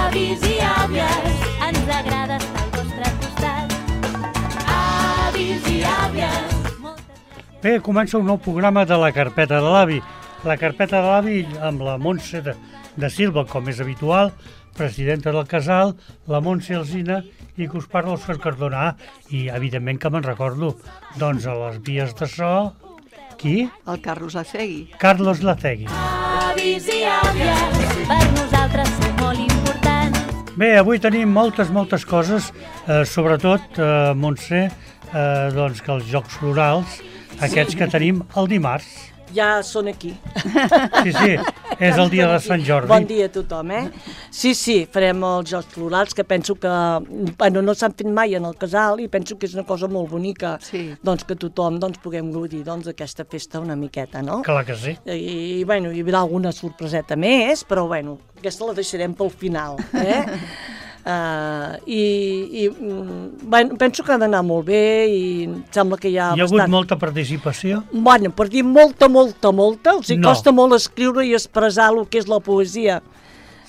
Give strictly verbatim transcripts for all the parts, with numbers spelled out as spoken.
Avis i àvies, ens agrada estar al vostre costat. Avis i àvies. Bé, comença un nou programa de la Carpeta de l'Avi. La Carpeta de l'Avi amb la Montse de, de Silva, com és habitual, presidenta del casal, la Montse Alsina i que us parla l'Òscar Cardona. I, evidentment, que me'n recordo, doncs a les vies de so, qui? El Carlos Lacegui. Carlos Lacegui. Avis i àvies, per nosaltres són molt importants. Bé, avui tenim moltes, moltes coses, eh, sobretot, eh, Montse, eh, doncs que els Jocs Florals, aquests que tenim el dimarts. Ja són aquí. Sí, sí, és el dia de Sant Jordi. Bon dia a tothom, eh? Sí, sí, farem els Jocs Florals, que penso que bueno, no s'han fet mai en el casal i penso que és una cosa molt bonica, sí. Doncs que tothom doncs, puguem gaudir doncs, d'aquesta festa una miqueta, no? Clar que sí. I, bueno, hi haurà alguna sorpreseta més, però bueno, aquesta la deixarem pel final, eh? Uh, i, i bueno, penso que ha d'anar molt bé i sembla que hi ha Hi ha bastant... hagut molta participació? Bueno, per dir molta, molta, molta, o sigui, no. Costa molt escriure i expressar el que és la poesia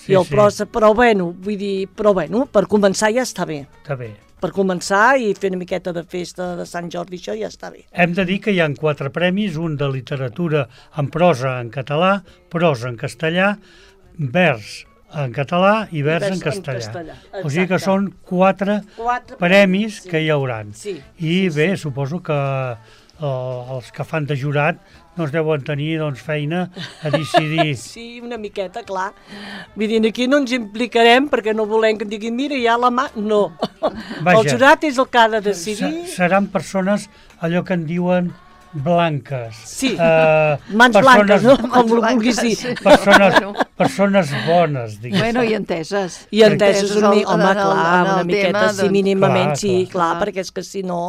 sí, i el sí. prosa, però bueno, vull dir, però bueno, per començar ja està bé. Està bé. Per començar i fer una miqueta de festa de Sant Jordi, això ja està bé. Hem de dir que hi ha quatre premis, un de literatura en prosa en català, prosa en castellà, vers en català i vers, vers en castellà. En castellà. O sigui que són quatre, quatre premis sí. que hi hauran. Sí. I sí, bé, sí. suposo que uh, els que fan de jurat doncs deuen tenir doncs, feina a decidir. Sí, una miqueta, clar. Vull dir, aquí no ens implicarem perquè no volem que diguin, mira, hi ha la mà... No. Vaja, el jurat és el que ha de decidir. Seran persones, allò que en diuen... blanques. Sí, uh, mans blanques, no? Com ho vulguis dir. Persones, persones bones, diguéssim. Bueno, i enteses. I enteses, una mica, home, clar, una miqueta, tema, sí, mínimament, clar, sí, clar, clar, clar. perquè és que si no,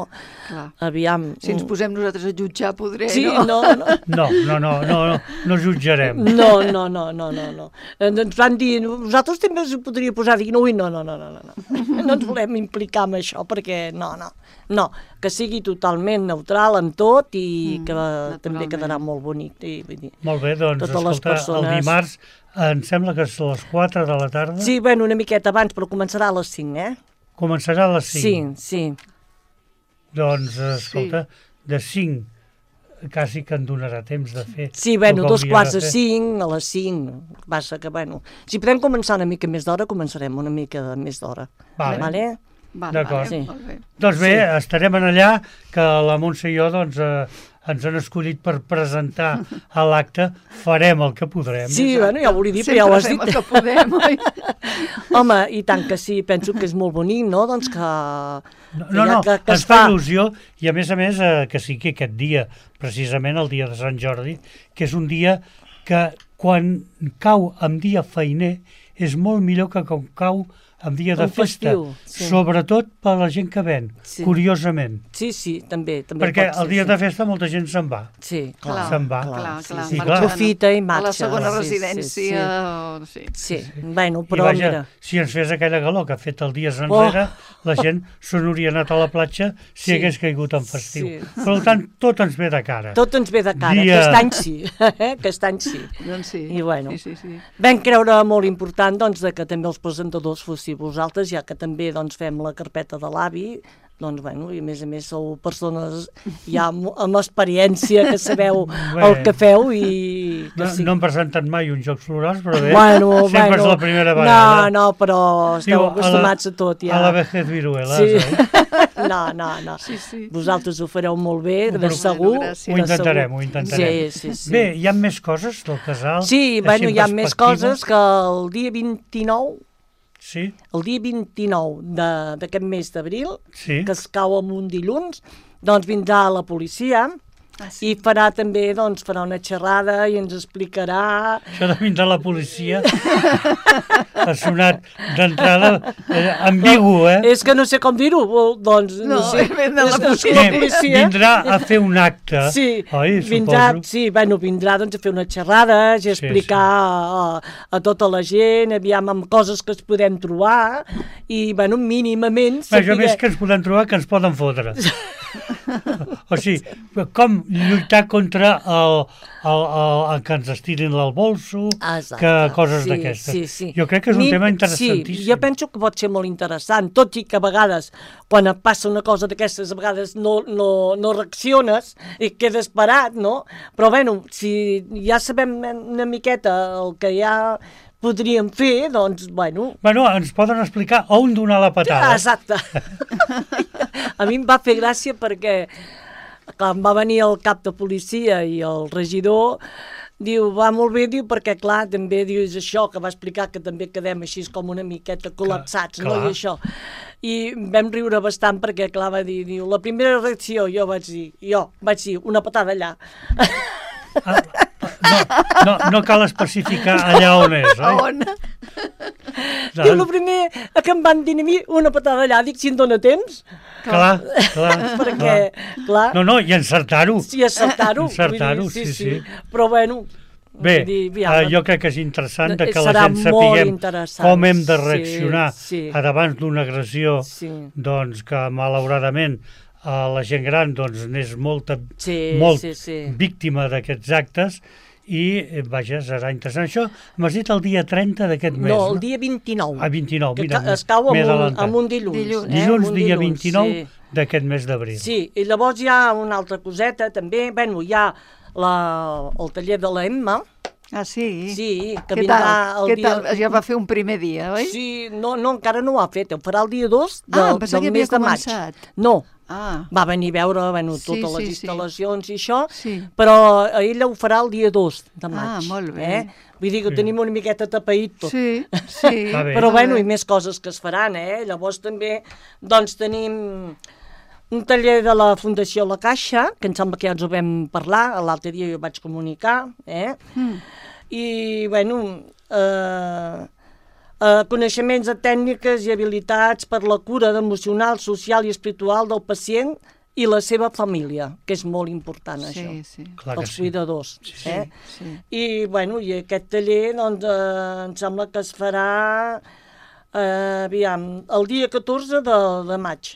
clar. Aviam... Si ens posem nosaltres a jutjar, podré, sí, no? no, no. No, no, no, no, no, no jutjarem. No, no, no, no, no, no. Ens van dir, vosaltres també us podria posar, dic, no, no, no, no, no, no, no ens volem implicar amb això, perquè no, no, no, que sigui totalment neutral en tot i que mm, també quedarà molt bonic. I, vull dir, molt bé, doncs, escolta, persones... el dimarts em sembla que és a les quatre de la tarda. Sí, bueno, una miqueta abans, però començarà a les cinc, eh? Començarà a les cinc? Sí, sí. Doncs, escolta, sí. de cinc quasi que en donarà temps de fer. Sí, bueno, dos quarts de cinc, a les cinc, passa que, bueno, si podem començar una mica més d'hora, començarem una mica més d'hora. Vale. Vale? D'acord. Sí. Doncs bé, sí. estarem en allà, que la Montse i jo doncs, eh, ens han escollit per presentar a l'acte, farem el que podrem. Sí, bueno, ja ho volia dir, però ja ho has dit. Sempre fem el que podem, oi? Home, i tant que sí, penso que és molt bonic, no? Doncs que... No, no, no que, que ens fa il·lusió, i a més a més eh, que sigui aquest dia, precisament el dia de Sant Jordi, que és un dia que quan cau en dia feiner és molt millor que quan cau en dia de festa, festiu, sí. Sobretot per la gent que ven, sí. Curiosament. Sí, sí, també. també perquè pot ser, el dia sí. de festa molta gent se'n va. Sí, clar. Se'n va. Clar, clar. Sí, clar. Aprofita i marxa. A la segona sí, residència. Sí, sí. Sí. sí. sí. Bueno, però I vaja, mira... si ens fes aquella galó que ha fet el dies enrere, oh. la gent se n'hauria anat a la platja si sí. hagués caigut en festiu. Sí. Per tant, tot ens ve de cara. Tot ens ve de cara. Dia... Aquest any sí. Aquest any sí. Doncs sí. I bueno, sí, sí, sí. vam creure molt important doncs, de que també els presentadors fóssiu vosaltres, ja que també doncs, fem la carpeta de l'avi, doncs, bueno, i a més a més sou persones ja amb, amb experiència que sabeu bé, el que feu i... Que no, sí. no hem presentat mai uns Jocs Florals, però bé, bueno, sempre bueno, és la primera vegada. No, no, però esteu Diu, acostumats a, la, a tot ja. A la vejez viruela, sí. eh? No, no, no. Sí, sí. Vosaltres ho fareu molt bé, Ho de segur. Bueno, ho intentarem, ho intentarem. Sí, sí, sí. Bé, hi ha més coses del casal? Sí, bueno, hi ha més coses que el dia vint-i-nou, sí. el dia vint-i-nou d'aquest mes d'abril, sí. que es cau en un dilluns, doncs vindrà la policia ah, sí. i farà també, doncs, farà una xerrada i ens explicarà... Això de vindrà la policia ha sonat d'entrada eh, ambigu, eh? És que no sé com dir-ho, doncs, no, no sé. Vindrà la policia. La policia vindrà a fer un acte, sí, oi, vindrà, suposo? sí, bueno, vindrà doncs, a fer una xerrada i explicar sí, sí. A, a tota la gent, aviam, amb coses que es podem trobar i, bueno, mínimament... Això més que ens podem trobar que ens poden fotre. O sigui, com lluitar contra el, el, el, el que ens estirin el bolso, Exacte, que coses sí, d'aquestes. sí, sí. Jo crec que és un Mi- tema interessantíssim. Sí, jo penso que pot ser molt interessant, tot i que a vegades, quan et passa una cosa d'aquestes, a vegades no, no, no reacciones i quedes parat, no? Però, bueno, si ja sabem una miqueta el que ja podríem fer, doncs, bueno... Bueno, ens poden explicar on donar la patada. Exacte. A mi em va fer gràcia perquè, clar, em va venir el cap de policia i el regidor, diu, va molt bé, diu, perquè, clar, també dius això, que va explicar que també quedem així com una miqueta col·lapsats, no? clar. I això. I vam riure bastant perquè, clar, va dir, diu, la primera reacció, jo vaig dir, jo vaig dir, una patada allà. Ah, no, no, no cal especificar allà on és, A oi? on? Diu, el primer que em van dir a mi, una patada allà, dic, si em dóna temps, Clar, clar, perquè, clar. clar, No, no, i encertar-ho. sí, acertar-ho. Encertar-ho, vull dir, sí, sí. Però, bueno, Bé, vull dir, eh, aviam, jo crec que és interessant de que la serà gent molt sapiguem interessant. com hem de Sí, reaccionar sí. a davant d'una agressió, Sí. doncs que malauradament eh, la gent gran doncs, n'és molta, Sí, molt sí, sí. víctima d'aquests actes i, eh, vaja, serà interessant. Això m'has dit el dia trenta d'aquest mes, No, el dia vint-i-nou. Ah, vint-i-nou, que mira, ca- es cau m'he amb un, adelantat. amb un dilluns. Dilluns. eh? Dilluns, Amb un dia dilluns, vint-i-nou sí. d'aquest mes d'abril. Sí, i llavors hi ha una altra coseta també, bueno, hi ha la, el taller de l'Emma, Ah, sí? sí, que Què vindrà tal? el Què dia... tal? Ja va fer un primer dia, oi? Sí, no, no, encara no ho ha fet, ho farà el dia dos de, Ah, em pensava del que havia mes de maig. començat. No, Ah, va venir a veure bueno, Sí, totes les sí, sí. instal·lacions i això, Sí. però ella ho farà el dia dos de maig. Ah, molt bé. Eh? Vull dir que ho tenim una miqueta tapaït tot. sí, sí. Va bé. Però Molt bueno, bé. i més coses que es faran, eh? Llavors també, doncs tenim un taller de la Fundació La Caixa, que em sembla que ja ens ho vam parlar, l'altre dia jo vaig comunicar, eh? Mm. I, bueno, eh, eh, coneixements de tècniques i habilitats per la cura emocional, social i espiritual del pacient i la seva família, que és molt important, Sí, això, sí. Clar que els sí. cuidadors. Eh? sí. I, bueno, i aquest taller, doncs, eh, em sembla que es farà, eh, aviam, el dia catorze de, de maig,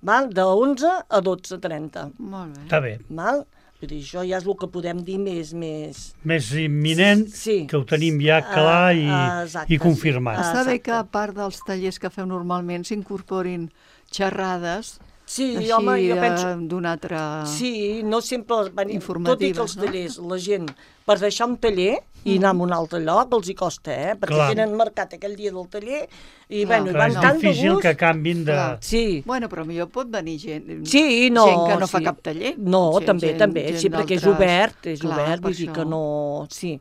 val? De onze a dotze trenta, Molt bé. Està bé. val? Vull dir, això ja és el que podem dir més, més... Més imminent, Sí. que ho tenim ja clar i, Ah, exacte, i confirmat. sí. Està bé exacte. que a part dels tallers que feu normalment s'incorporin xerrades Sí, així home, jo de- penso... d'un altre... Sí, no sempre van tot i que Informatives, els no? tallers, la gent, per deixar un taller i anar a un altre lloc els hi costa, eh? Perquè Clar. tenen marcat aquell dia del taller i, Clar, bueno, i Clar, van és tan de difícil gust... que canvin de... Clar. Sí, Bueno, però millor pot venir gent, sí, no... gent que no fa sí. cap taller. No, Gent- també, gent- també, gent sí, perquè és d'altres- obert, és Clar, obert, per vull dir que això. no... Sí,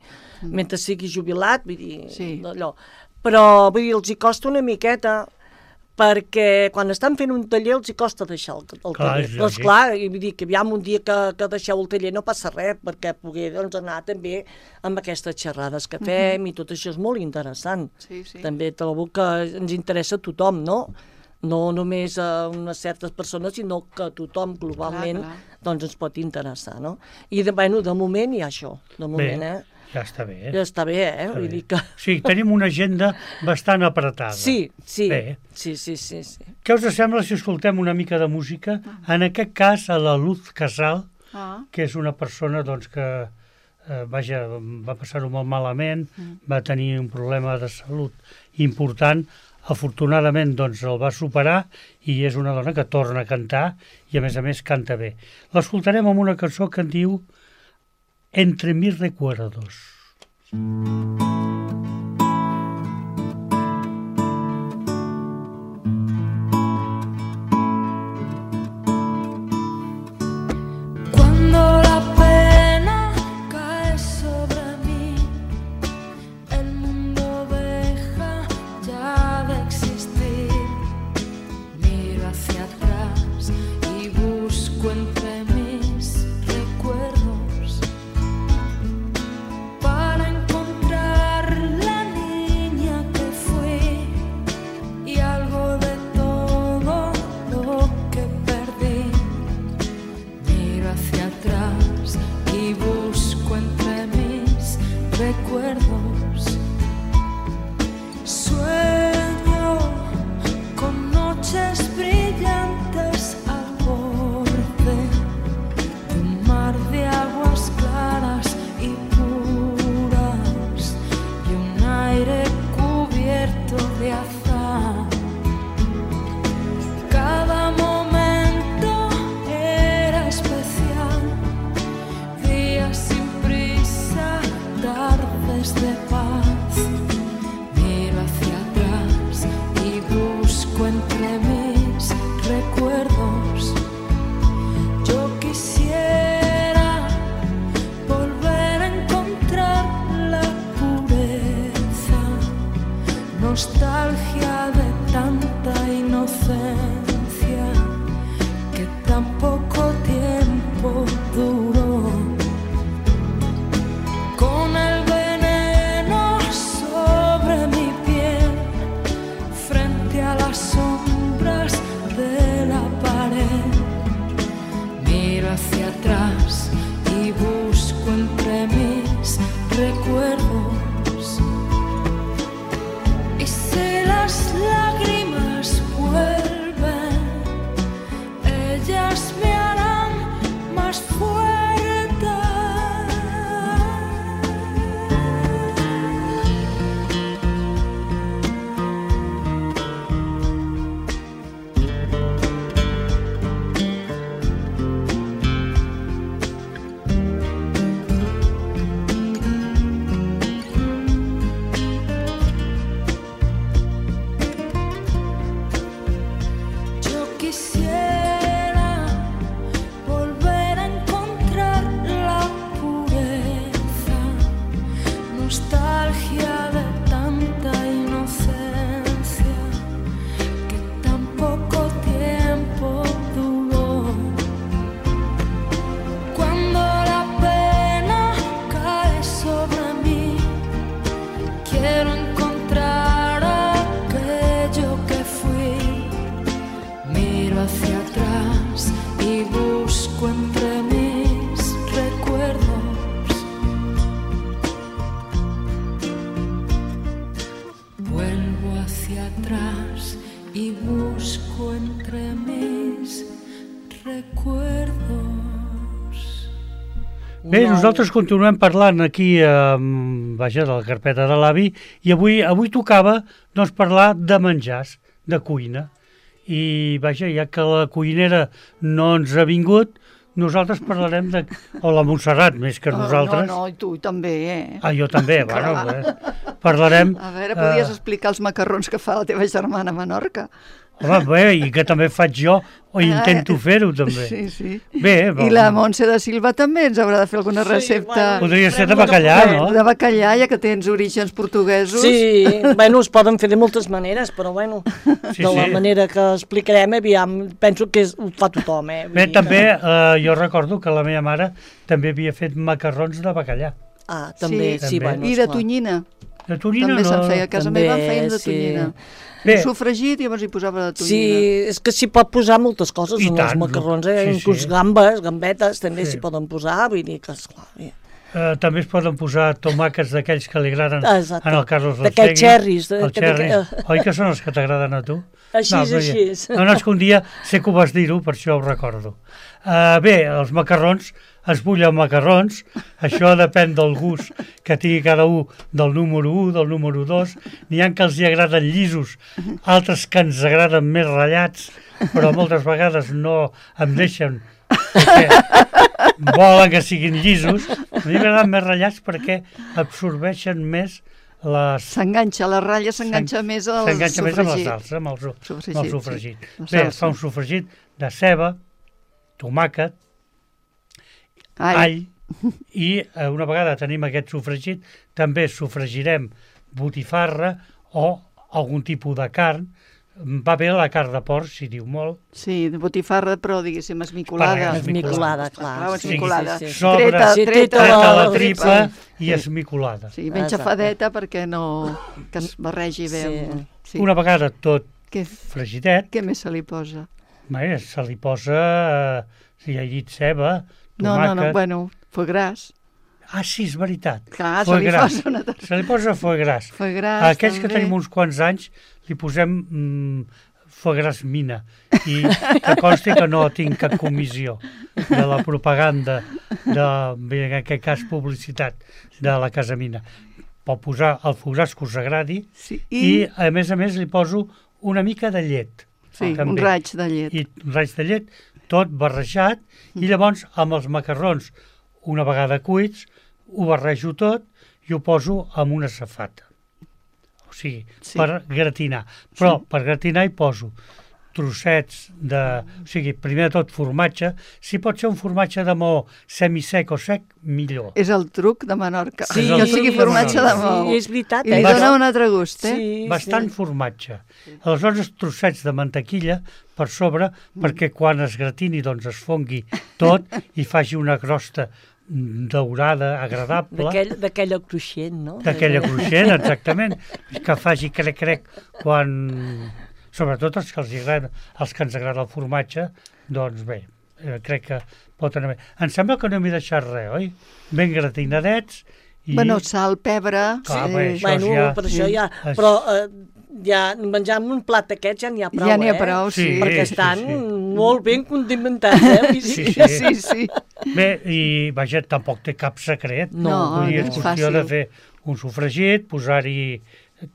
mentre sigui jubilat, vull dir, Sí. allò. Però, vull dir, els hi costa una miqueta, perquè quan estan fent un taller els hi costa deixar el, el Clar, taller. és Però, lògic. esclar, i vull dir que aviam un dia que, que deixeu el taller no passa res, perquè poder doncs, anar també amb aquestes xerrades que fem i tot això és molt interessant. Sí, sí. També trobo que ens interessa a tothom, no? No només a unes certes persones, sinó que a tothom globalment Clar, clar. doncs ens pot interessar, no? I de, bueno, de moment hi ha això, de moment, Bé, eh? ja està bé. Ja està bé, eh? Està Vull bé. dir que... Sí, tenim una agenda bastant apretada. Sí, sí, Bé. sí, sí, sí, sí. Què us sembla si escoltem una mica de música? En aquest cas, a la Luz Casal, Ah, que és una persona doncs, que eh, vaja, va passar-ho molt malament, va tenir un problema de salut important, afortunadament doncs, el va superar i és una dona que torna a cantar i a més a més canta bé. L'escoltarem amb una cançó que en diu Entre mis recuerdos. Cuando la pena cae sobre mí, el mundo deja ya de existir. Miro hacia atrás y busco entre mis recuerdos para encontrar nostalgia de tanta inocencia que tan poco tiempo duró. Con el veneno sobre mi piel, frente a las sombras de la pared, miro hacia atrás y busco entre mis recuerdos. Y si las lágrimas vuelven, ellas me harán más fuerte. Bé, nosaltres continuem parlant aquí um, vaja, de la carpeta de l'avi i avui avui tocava doncs, parlar de menjars, de cuina. I vaja, ja que la cuinera no ens ha vingut, nosaltres parlarem de... o la Montserrat, més que nosaltres. No, no, i tu també, eh? Ah, jo també, bueno, eh, parlarem... A veure, podies eh, explicar els macarrons que fa la teva germana a Menorca? Home, bé, i que també faig jo, o intento fer-ho també. Sí, sí. Bé, bon. I la Montse de Silva també ens haurà de fer alguna recepta... Sí, podria ser de bacallà, no? De bacallà, ja que tens orígens portuguesos. Sí, bueno, es poden fer de moltes maneres, però bueno, Sí, de la sí. manera que explicarem, aviam, penso que és, ho fa tothom, eh? Vull Bé, dir també que- eh, jo recordo que la meva mare també havia fet macarrons de bacallà. Ah, també, Sí, sí, també. bueno, I de esclar. tonyina. De tonyina També no... se'n feia. A casa També, meva en fèiem de sí. tonyina. Bé. Un sofregit i llavors hi posava de Sí, tonyina. és que s'hi pot posar moltes coses I en tant, els macarrons, eh? sí, Inclús sí. gambes, gambetes, també Sí. s'hi poden posar, vull dir que, esclar, bé. Eh, també es poden posar tomàquets d'aquells que li agraden Exacte. en el Carlos D'aquests Losegui. xerris, de- Els que- xerris. Oi que són els que t'agraden a tu? Així és, però així ja- és. No, no, és que un dia sé que ho vas dir-ho, per això ho recordo. Uh, bé, els macarrons, es bullen macarrons, això depèn del gust que tingui cada un, del número u, del número dos. N'hi ha que els hi agraden llisos, altres que ens agraden més ratllats, però moltes vegades no em deixen perquè volen que siguin llisos. A mi m'agraden més ratllats perquè absorbeixen més les... S'enganxa, la ratlla s'enganxa S'en- més al S'enganxa més amb la sofregit. salsa, amb el, su- Sofregit, amb el sofregit. sí. La Bé, salsa. fa un sofregit de ceba, tomàquet, Ai, all, i eh, una vegada tenim aquest sofregit, també sofregirem botifarra o algun tipus de carn. Va bé la carn de porc, si diu molt. sí, de botifarra, però diguéssim esmicolada. Per Esmicolada, clar. Clar, sí, esmicolada. sí, sí. Sobre, Treta, Sí, treta, treta treta la la tripa sí. i esmicolada. Sí, ben Exacte. xafadeta perquè no... que es barregi bé. Sí. Amb... Sí. Una vegada tot Què, fregidet, què més se li posa? bé, se li posa, eh, si ja he dit ceba, No, tomàquet... no, no, bueno, foie gras. Ah, sí, és veritat. Clar, se Foie li gras. posa una... Se li posa foie gras. Foie gras, A aquells que també. tenim uns quants anys li posem mm, foie gras mina i que consti que no tinc cap comissió de la propaganda, de, bé, en aquest cas publicitat, de la Casa Mina. Pot posar el foie gras que us agradi Sí, i, i, a més a més, li poso una mica de llet. sí, un també. raig de llet. I un raig de llet, tot barrejat, i llavors amb els macarrons, una vegada cuits, ho barrejo tot i ho poso amb una safata. O sigui, Sí. per gratinar. Però per gratinar hi poso trossets de... O sigui, primer de tot formatge. Si pot ser un formatge de maó semisec o sec, millor. És el truc de Menorca. Sí, que sigui sí, formatge de sí, maó. Sí, és veritat. I li eh? dona un altre gust, eh? Sí, Bastant sí. formatge. Aleshores, trossets de mantequilla per sobre, Mm. perquè quan es gratini doncs es fongui tot i faci una crosta daurada, agradable. D'aquell- D'aquella cruixent, no? D'aquella cruixent, exactament, que faci crec-crec quan... Sobretot els que, els, agrada, els que ens agrada el formatge, doncs bé, eh, crec que pot anar bé. Em sembla que no m'he deixat res, oi? Ben gratinadets i... Bueno, sal, pebre... Clar, sí. bé, això Bueno, ja- per això ja... Es- Però eh, ja menjar un plat d'aquest ja n'hi ha prou, Ja n'hi ha eh? prou, sí. Sí, Perquè sí, estan sí. molt ben condimentats, eh? Vull dir Sí, que- sí, sí. Bé, i vaja, tampoc té cap secret. No, Vull dir, no és és qüestió de fàcil. fer un sofregit, posar-hi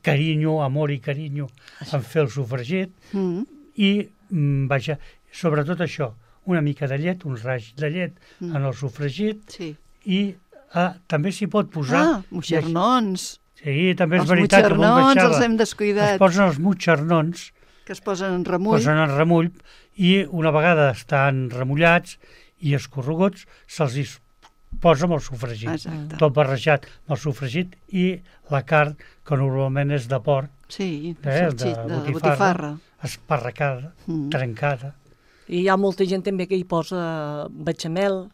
carinyo, amor i carinyo en fer el sofregit Mm. i, mm, vaja, sobretot això, una mica de llet, un raig de llet Mm. en el sofregit Sí. i ah, també s'hi pot posar... Ah, moixernons. Sí, també és Els veritat que me'n moixernons deixava. els hem Es descuidat, posen els motxernons, que es posen en remull. posen en remull i una vegada estan remullats i escorreguts, se'ls hi posa amb el sofregit. Exacte. Tot barrejat amb el sofregit i la carn, que normalment és de porc, Sí, Eh, eh, de de, de botifarra. botifarra. esparracada, Mm. trencada. I hi ha molta gent també que hi posa bechamel,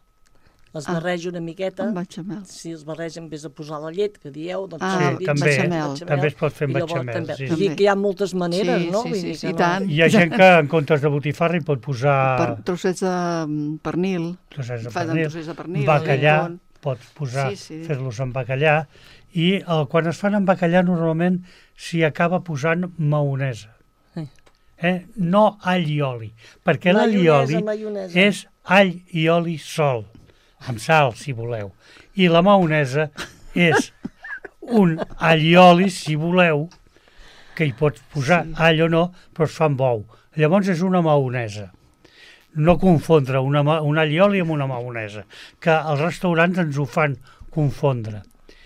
les Ah. barreja una miqueta. Amb bechamel. Si els barreja en vez de posar la llet, que dieu, doncs Ah, Sí, com dit, també, bechamel. també es pot fer amb I llavors bechamel. també. Sí, Vull sí. dir que hi ha moltes maneres, Sí, no? sí, Vull sí, dir sí, que i tant. Hi ha gent que en comptes de botifarra hi pot posar Per trossets de mm, pernil. trossets de Fan pernil, trossets de pernil. bacallà, bacon. pots posar, Sí, sí. fer-los amb bacallà, i el, quan es fan amb bacallà normalment s'hi acaba posant maonesa. Sí. Eh? No all i oli, perquè l'all i oli maionesa. és all i oli sol, amb sal, si voleu. I la maonesa és un all i oli, si voleu, que hi pots posar Sí. all o no, però es fa amb ou. Llavors és una maonesa. No confondre una, ma- un all i oli amb una maonesa, que els restaurants ens ho fan confondre.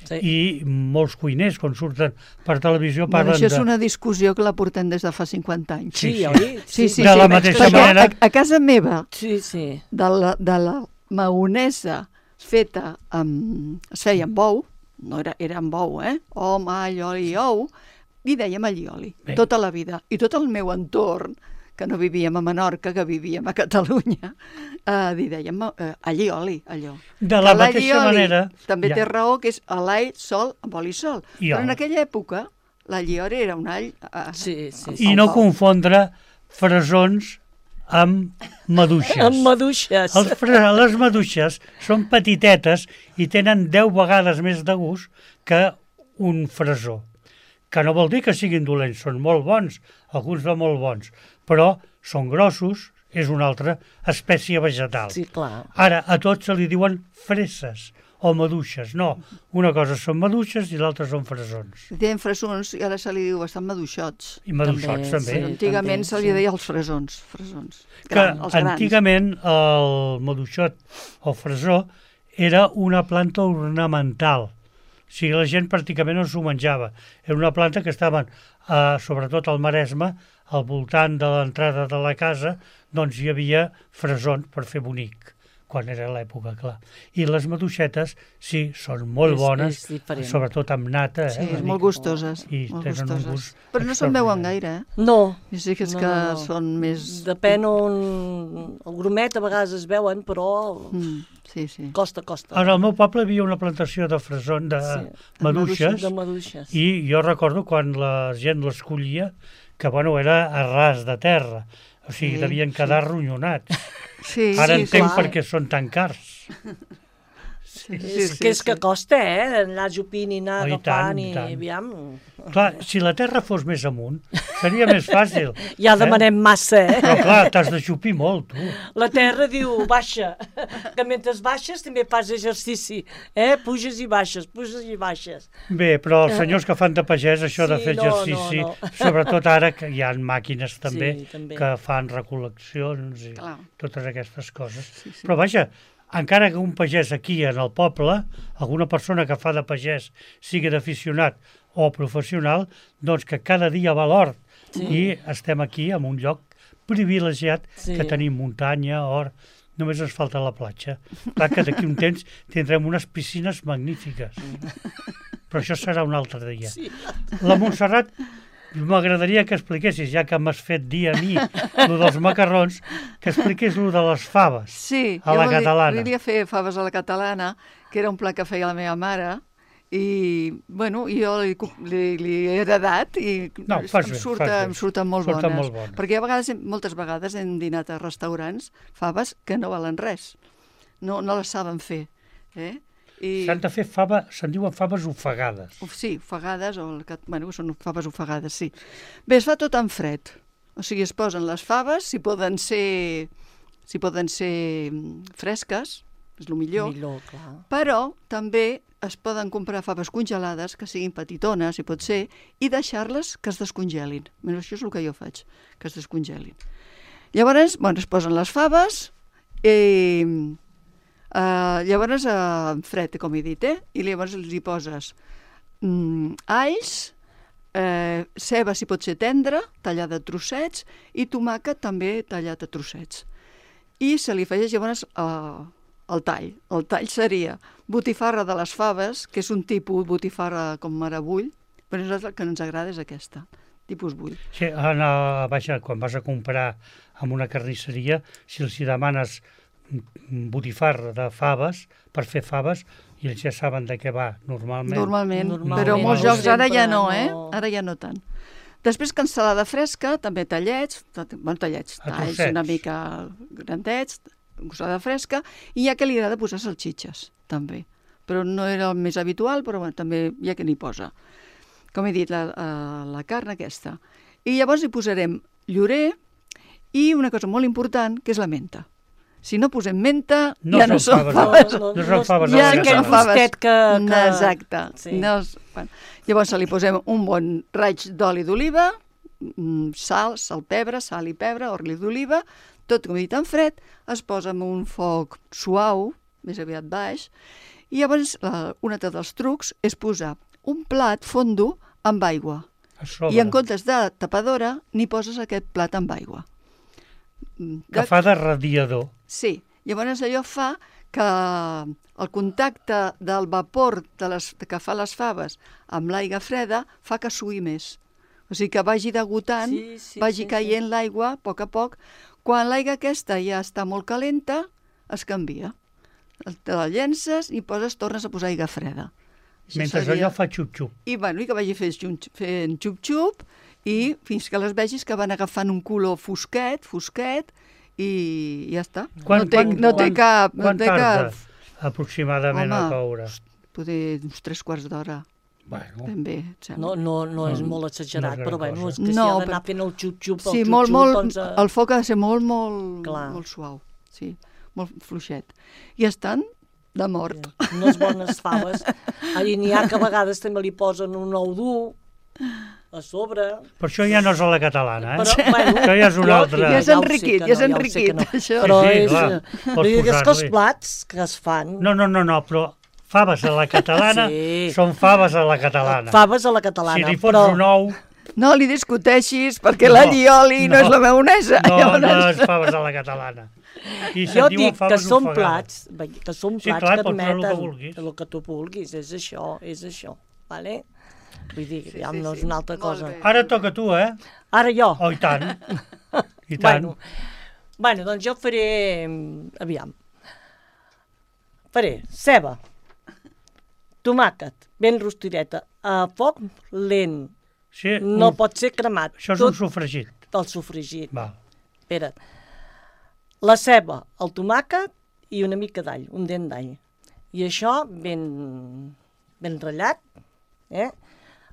Sí. I molts cuiners, quan surten per televisió, Bueno, parlen això és de... una discussió que la portem des de fa cinquanta anys. Sí, Sí, sí. oi? Sí, sí, De sí. la mateixa Perquè manera- a, a casa meva, Sí, sí. de la, de la maonesa feta amb... es feia amb ou, no era, era amb ou, eh? Om, all, oli i ou, i dèiem all i oli, Bé. tota la vida. I tot el meu entorn, que no vivíem a Menorca, que vivíem a Catalunya, eh, li dèiem eh, all i oli, allò. De Que la l'all i mateixa oli manera... també ja. té raó, que és l'all sol amb oli sol. I Però ou. en aquella època, l'all i oli era un all... Eh, Sí, sí, I no ou. confondre fresons amb maduixes. Amb maduixes. Els fre les maduixes són petitetes i tenen deu vegades més de gust que un fresó. Que no vol dir que siguin dolents, són molt bons, alguns de molt bons, però són grossos, és una altra espècie vegetal. Sí, clar. Ara, a tots se li diuen fresses o maduixes. No, una cosa són maduixes i l'altra són fresons. Li deien fresons i ara se li diu bastant maduixots. I maduixots També, també. Però Sí, antigament també, se li sí. deia els fresons. fresons. Que Gran, els grans. antigament el maduixot o fresó era una planta ornamental. O sigui, la gent pràcticament no s'ho menjava. Era una planta que estaven, eh, sobretot al Maresme, al voltant de l'entrada de la casa, doncs hi havia fresons per fer bonic, quan era l'època, clar. I les maduixetes, sí, són molt És- bones, és diferent. sobretot amb nata. Sí, eh, una és molt mica. gustoses. I molt tenen un gustoses. gust Però no se'n veuen extraordinari. gaire, eh? No. Jo sé que és No, que no, no. són més... Depèn on... El grumet a vegades es veuen, però Mm, sí, sí. costa, costa. Ara, al meu poble hi havia una plantació de fresons, de Sí, maduixes, de maduixes. i jo recordo quan la gent les collia, que bueno, era a ras de terra, o sigui, Sí, devien quedar ronyonats. Sí, Ara sí, entenc clar. per què són tan cars. Sí, És que és que costa, eh? Anar jupint i anar Oh, i agafant tant, i, i tant. aviam... Clar, si la terra fos més amunt, seria més fàcil. Ja demanem massa, eh? Però clar, t'has de xupir molt, tu. La terra diu, baixa, que mentre baixes també fas exercici, eh? Puges i baixes, puges i baixes. Bé, però els senyors que fan de pagès, això de Sí, fer no, exercici, no, no. sobretot ara que hi ha màquines també, Sí, també. que fan recol·leccions i Clar. totes aquestes coses. Però vaja, encara que un pagès aquí en el poble, alguna persona que fa de pagès sigui d'aficionat o professional, doncs que cada dia va a l'hort. Sí. I estem aquí en un lloc privilegiat Sí. que tenim muntanya, or, només ens falta la platja. Clar que d'aquí un temps tindrem unes piscines magnífiques. Però això serà un altre dia. Sí. La Montserrat, m'agradaria que expliquessis, ja que m'has fet dir a mi lo dels macarrons, que expliqués lo de les faves Sí, a la jo catalana. volia fer faves a la catalana, que era un plat que feia la meva mare, i, bueno, jo li, li, li he heredat i No, fas em, bé, surta, fas bé. em surten molt Surten bones. molt bones. Perquè a vegades, moltes vegades hem dinat a restaurants faves que no valen res. No, no les saben fer. Eh? I, S'han de fer fava, se'n diuen faves ofegades. Uf, sí, ofegades, o el que, bueno, són faves ofegades, sí. Bé, es fa tot en fred. O sigui, es posen les faves, si poden ser, si poden ser mm, fresques, és el millor, Millor, clar. però també es poden comprar faves congelades, que siguin petitones, si pot ser, i deixar-les que es descongelin. Bé, això és el que jo faig, que es descongelin. Llavors, bueno, es posen les faves, i Uh, llavors uh, en fred, com he dit, eh? I llavors els hi poses mm, alls, eh, ceba si pot ser tendra, tallada a trossets, i tomàquet també tallat a trossets. I se li afegeix llavors uh, el tall. El tall seria botifarra de les faves, que és un tipus botifarra com marabull, però nosaltres el que ens agrada és aquesta, tipus bull. Sí, Anna, vaja, quan vas a comprar en una carnisseria, si els hi demanes botifarra de faves, per fer faves, i ells ja saben de què va, normalment. Normalment, Normalment, però molts no jocs ara ja sempre no, eh? no. Ara ja no tant. Després cansalada fresca, també tallets, tot- bueno, tallets, A talls trossets. una mica grandets, cansalada fresca, i hi ha que li agrada posar salxitxes, també. Però no era el més habitual, però bueno, també hi ha que n'hi posa. Com he dit, la, eh, la carn aquesta. I llavors hi posarem llorer i una cosa molt important, que és la menta. Si no posem menta, No ja no són són faves. faves. No són faves Ja a la no aquell són catalana. faves. gustet que... que... Exacte. Sí. No, és- bueno. Llavors se li posem un bon raig d'oli d'oliva, mm, sal, sal, pebre, sal i pebre, oli d'oliva, tot com he dit en fred, es posa amb un foc suau, més aviat baix, i llavors eh, un altre dels trucs és posar un plat fondo amb aigua. A sobre. I en comptes de tapadora, n'hi poses aquest plat amb aigua. Mm, Que fa de radiador. Sí, llavors allò fa que el contacte del vapor de les, que fa les faves amb l'aigua freda fa que suï més. O sigui que vagi degotant, Sí, sí, vagi sí, caient l'aigua a poc a poc. Quan l'aigua aquesta ja està molt calenta, es canvia. Te la llences i poses, tornes a posar aigua freda. Això Mentre seria- allò fa xup-xup. I, bueno, i que vagi fent, xun- fent xup-xup i fins que les vegis que van agafant un color fosquet, fosquet, i ja està. Quan- no té, quan- no té quan- cap... No Quan té tarda cap... aproximadament a Home, coure? Poder uns tres quarts d'hora, Bueno, ben bé, em sembla. No, no, no és No, molt no exagerat, és gran però bueno, cosa. és que si No, ha d'anar però- fent el xup-xup, el Sí, xup-xup, molt, molt, doncs... eh, el foc ha de ser molt, molt, Clar. molt suau, sí, molt fluixet. I estan de mort. unes bones faves. Ah, I n'hi ha que a vegades també li posen un ou dur a sobre. per això ja no és a la catalana, eh? Però, bueno, Això ja és un jo- altre- Ja és ho sé enriquit, que ja és no, ho sé que enriquit, no. això. Però Sí, és... clar, eh, pots vull dir que és que els posar-li. plats que es fan... No, no, no, no, però faves a la catalana Sí. són faves a la catalana. Faves a la catalana, Si li fots però... un ou, No li discuteixis, perquè No, la llioli no, no. és la maonesa. no, Llavors- no és faves a la catalana. I se'n Jo diuen dic que faves són ofegades. plats, que són Sí, plats clar, que pots posar el que admeten vulguis. el que tu vulguis, és això, és això, vale? Vull dir, Sí, ja sí, no és sí, una altra molt cosa. bé. Ara toca a tu, eh? Ara jo. Oh, i tant. I tant. Bueno, bueno, doncs jo faré... Aviam. Faré ceba, tomàquet, ben rostideta, a foc lent, Sí, no un- pot ser cremat. Això és tot un sofregit. el sofregit. Val. Espera't. La ceba, el tomàquet i una mica d'all, un dent d'all. I això ben, ben ratllat, eh?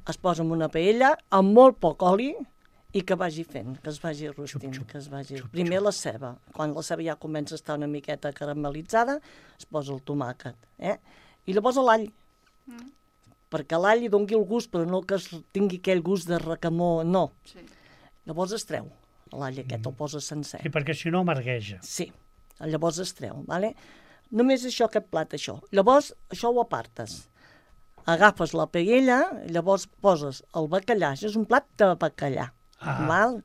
Es posa en una paella amb molt poc oli i que vagi fent, que es vagi rostint, Xup, xup, que es vagi... xup, Primer xup. la ceba. Quan la ceba ja comença a estar una miqueta caramelitzada, es posa el tomàquet, eh? I llavors l'all. Mm. Perquè l'all li doni el gust, però no que es tingui aquell gust de recamó, no. Sí. Llavors es treu. L'all aquest el posa sencer. Sí, perquè si no amargueja. Sí, llavors es treu, vale? Només això, aquest plat, això. Llavors, això ho apartes. Agafes la paella, llavors poses el bacallà. Això és un plat de bacallà, Ah. val?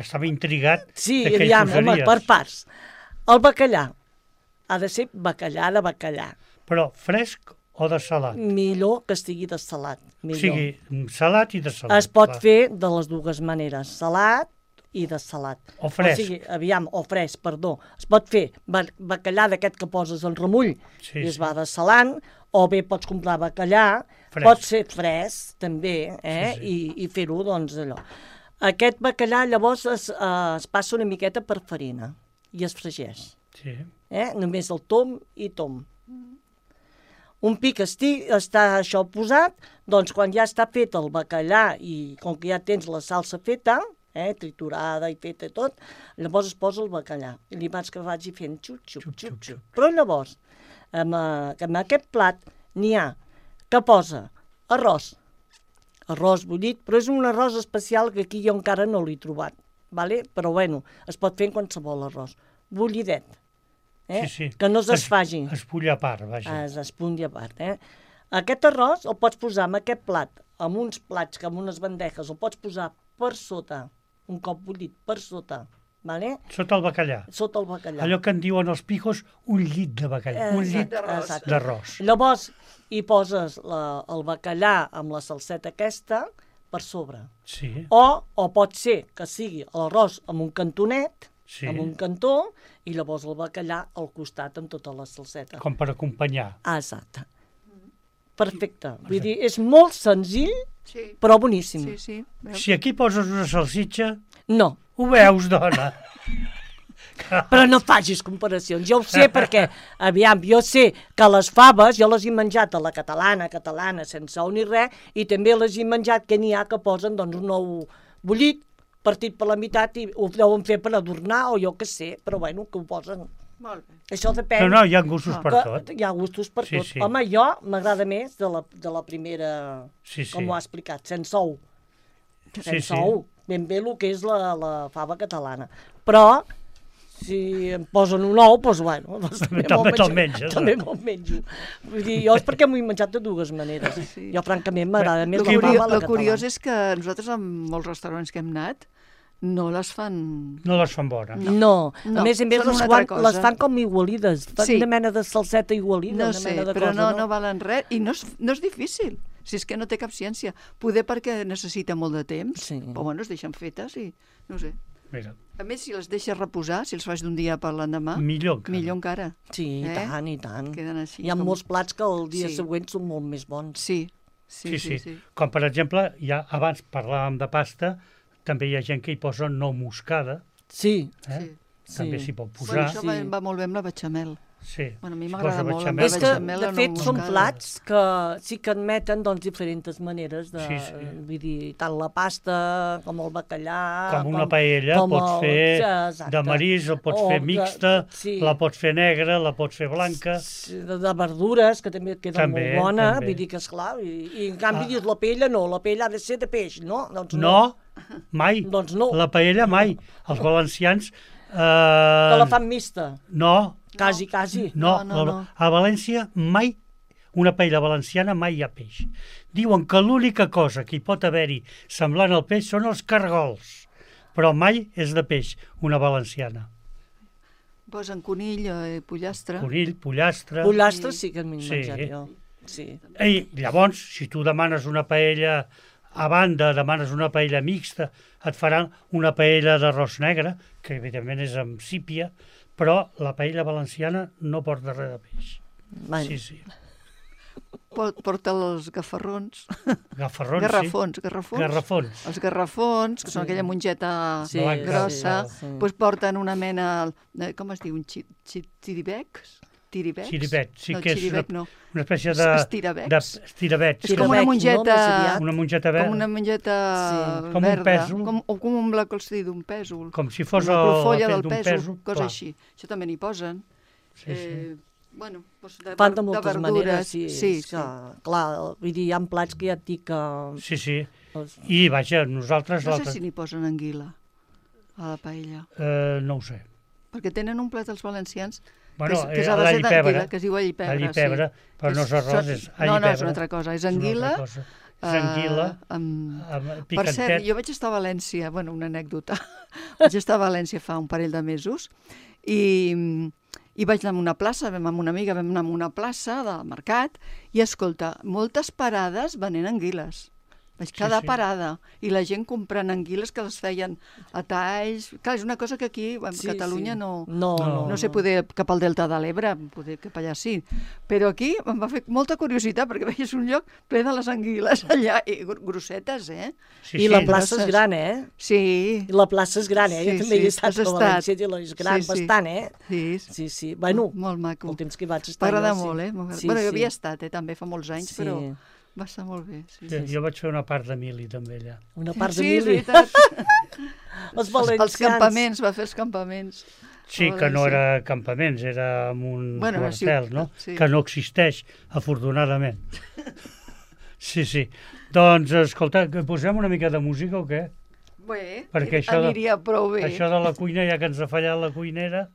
estava intrigat Sí, de què hi aviam, home, posaries. per parts. El bacallà ha de ser bacallà de bacallà. Però fresc o de salat? Millor que estigui de salat. O Millor. sigui, salat i de salat. Es pot va. fer de les dues maneres, salat i de salat. O fresc. O sigui, aviam, o fresc, perdó. Es pot fer ba bacallà d'aquest que poses al remull Sí, i es sí. va dessalant, o bé pots comprar bacallà, Fresc. pot ser fresc, també, eh? Sí, I, i fer-ho, doncs, allò. Aquest bacallà, llavors, es, eh, es passa una miqueta per farina i es fregeix. Sí. Eh? Només el tom i tom. Un pic esti, està això posat, doncs quan ja està fet el bacallà i com que ja tens la salsa feta, eh, triturada i feta i tot, llavors es posa el bacallà i li vas que vagi fent xup, xup, xup, xup, xup. Però llavors, amb, eh, amb aquest plat n'hi ha que posa arròs, arròs bullit, però és un arròs especial que aquí jo encara no l'he trobat, vale? Però bueno, es pot fer en qualsevol arròs. Bullidet, eh? Sí, sí. Que no es desfagi. Es, es pulla a part, vaja. Es espundi a part, eh? Aquest arròs el pots posar en aquest plat, amb uns plats, amb unes bandejes, el pots posar per sota, un cop bullit, per sota, vale? Sota el bacallà. Sota el bacallà. Allò que en diuen els pijos, un llit de bacallà, un llit Exacte. d'arròs. Llavors hi poses la, el bacallà amb la salseta aquesta per sobre. Sí, O, o pot ser que sigui l'arròs amb un cantonet, sí, amb un cantó, i llavors el bacallà al costat amb tota la salseta. com per acompanyar. Ah, exacte. Perfecte. Vull dir, és molt senzill, Sí, però boníssim. sí, sí. Veus? Si aquí poses una salsitxa, No, ho veus, dona? però no facis comparacions. Jo ho sé perquè, aviam, jo sé que les faves jo les he menjat a la catalana, catalana, sense ou ni res, i també les he menjat que n'hi ha que posen doncs, un ou bullit, partit per la meitat, i ho deuen fer per adornar, o jo què sé, però bueno, que ho posen. Molt bé. Això depèn. No, no, hi ha gustos per que tot. Hi ha gustos per Sí, tot. sí. Home, jo m'agrada més de la, de la primera, Sí, sí. com ho ha explicat, sense ou. Sí, Sense sí. ou. Ben bé el que és la, la fava catalana. Però, si em posen un ou, doncs, bueno, doncs també, També me'l te'l menjo, menges, també no? me'l menjo. Vull dir, jo és perquè m'ho he menjat de dues maneres. Sí. Jo, francament, m'agrada més El la curiós, fava a la el curiós catalana. és que nosaltres, en molts restaurants que hem anat, no les fan... No les fan bones. No, No, a més a més són les, una fan, altra cosa. les fan com igualides, fan Sí. una mena de salseta igualida, No una sé, mena de però cosa, no, no valen res i no és, no és difícil. Si és que no té cap ciència. Poder perquè necessita molt de temps, Sí. però bueno, es deixen fetes i no sé. Mira, A més, si les deixes reposar, si els fas d'un dia per l'endemà, millor encara. millor encara. Sí, i Eh? tant, i tant. Queden així Hi ha com- molts plats que el dia Sí. següent són molt més bons. Sí, sí, Sí, sí. sí. sí. Com per exemple, ja abans parlàvem de pasta, també hi ha gent que hi posa nou moscada, Sí, eh? Sí. També sí. s'hi pot Bueno, posar. això Sí. va, va molt bé amb la bechamel. Sí. Bueno, a mi s'hi m'agrada posa molt amb bechamel. És que, bechamel, de la fet, nou són moscada. plats que sí que admeten doncs, diferents maneres de... Sí, sí. Vull dir, tant la pasta com el bacallà... Com una paella, com pots el- fer Exacte. de marís, la pots O fer de- mixta, sí. la pots fer negra, la pots fer blanca. Sí, De, de verdures, que també et queda També, molt bona, també. vull dir que esclar, i, i en canvi Ah. dius la paella no, la paella ha de ser de peix, no? Doncs no. No, mai. Doncs no, La paella mai. Els valencians... Eh, que la fan mixta, No, quasi, quasi. no, No, no, la- no. a València mai, una paella valenciana mai hi ha peix. Diuen que l'única cosa que hi pot haver-hi semblant al peix són els cargols, però mai és de peix, una valenciana. Posen conill, eh, pollastre. Conill, pollastre... Pollastre sí que m'he Sí. menjat jo. Sí. I llavors, si tu demanes una paella, a banda demanes una paella mixta, et faran una paella d'arròs negre, que evidentment és amb sípia, però la paella valenciana no porta res de peix. Bueno, Sí, sí. Pot- Porta els gafarrons. Gafarrons, Garrafons, sí. garrafons. Garrafons. Els garrafons, que són Sí. aquella mongeta Sí, blanca, grossa, sí. doncs porten una mena, de- com es diu, un xi, xi, tiribecs? Tiribecs? Xiribet, sí no, que és xiribec una, no. una espècie de... Estirabecs? de estirabecs. És com una Tirabec, no? mongeta, Més aviat. Una mongeta verda, com una mongeta Sí. Com un verda, pèsol. com, o com un blanc, els d'un pèsol. com si fos una el, la clofolla pell del d'un pèsol, pèsol. cosa clar. així. Això també n'hi posen. Sí, sí. Eh, bueno, doncs de, fan de ver- moltes verdures. maneres, sí. sí, és sí. que, clar, vull dir, hi ha plats que ja et dic que... Sí, sí. els- I vaja, nosaltres... No sé l'altre- si n'hi posen anguila a la paella, eh, no ho sé. perquè tenen un plat els valencians Bueno, que és, que és eh, a base l'all pebre, d'anguila, que es diu all i pebre. all i pebre, sí. però no és arròs, és all No, i no, és pebre. una altra cosa. És És una altra anguila, cosa. S'anguila, Uh, amb... amb Per picantet. cert, jo vaig estar a València, bueno, una anècdota, vaig estar a València fa un parell de mesos i, i vaig anar a una plaça, vam amb una amiga, vam anar a una plaça del mercat i, escolta, moltes parades venent anguiles. Vaig cada sí. parada i la gent comprant anguiles que les feien a talls. Clar, és una cosa que aquí, a Sí, Catalunya, sí. no... No, no, No sé, poder cap al Delta de l'Ebre, poder cap allà sí. Però aquí em va fer molta curiositat perquè veies un lloc ple de les anguiles allà, i gr- grossetes, eh? Sí, I la sí. plaça és grosses. gran, eh? Sí. I la plaça és gran, eh? Sí, Jo també hi he sí, estat has a estat. València i la és gran, Sí, sí. bastant, eh? Sí, Sí, sí. Bueno, molt maco. el temps que hi vaig estar M'agrada jo, sí. molt, eh? M'agrada. Sí, bueno, jo sí. havia estat, eh? També fa molts anys, Sí. però va estar molt bé. Sí, Sí, jo vaig fer una part de mili també allà. Una part de sí, és mili. veritat. Els Els valencians. campaments, va fer els campaments. Sí, A que no València. era campaments, era en un Bueno, quartel, sí, no? sí. Que no existeix, afortunadament. Sí, sí. Doncs, escolta, que posem una mica de música o què? Bé, Perquè això de- aniria prou bé. Això de la cuina, ja que ens ha fallat la cuinera,